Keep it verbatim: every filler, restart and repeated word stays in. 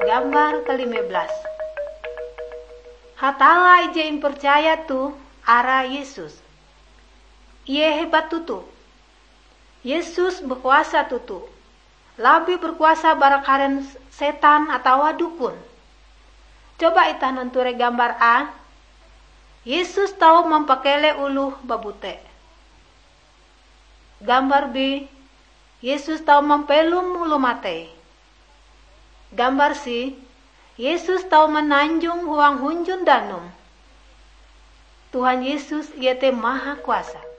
Gambar kelima belas. Hatalla ije impercaya toh arae Yesus. Ie hebat toto. Yesus berkuasa toto. Labih berkuasa bara karen setan atawa dukun. Coba itah nanture gambar A. Yesus tau mampakeleh oloh babute. Gambar B. Yesus tau mampelom oloh matei. Gambar C. Yesus tau mananjong huang hunjun danum. Tuhan Yesus iete mahakuasa.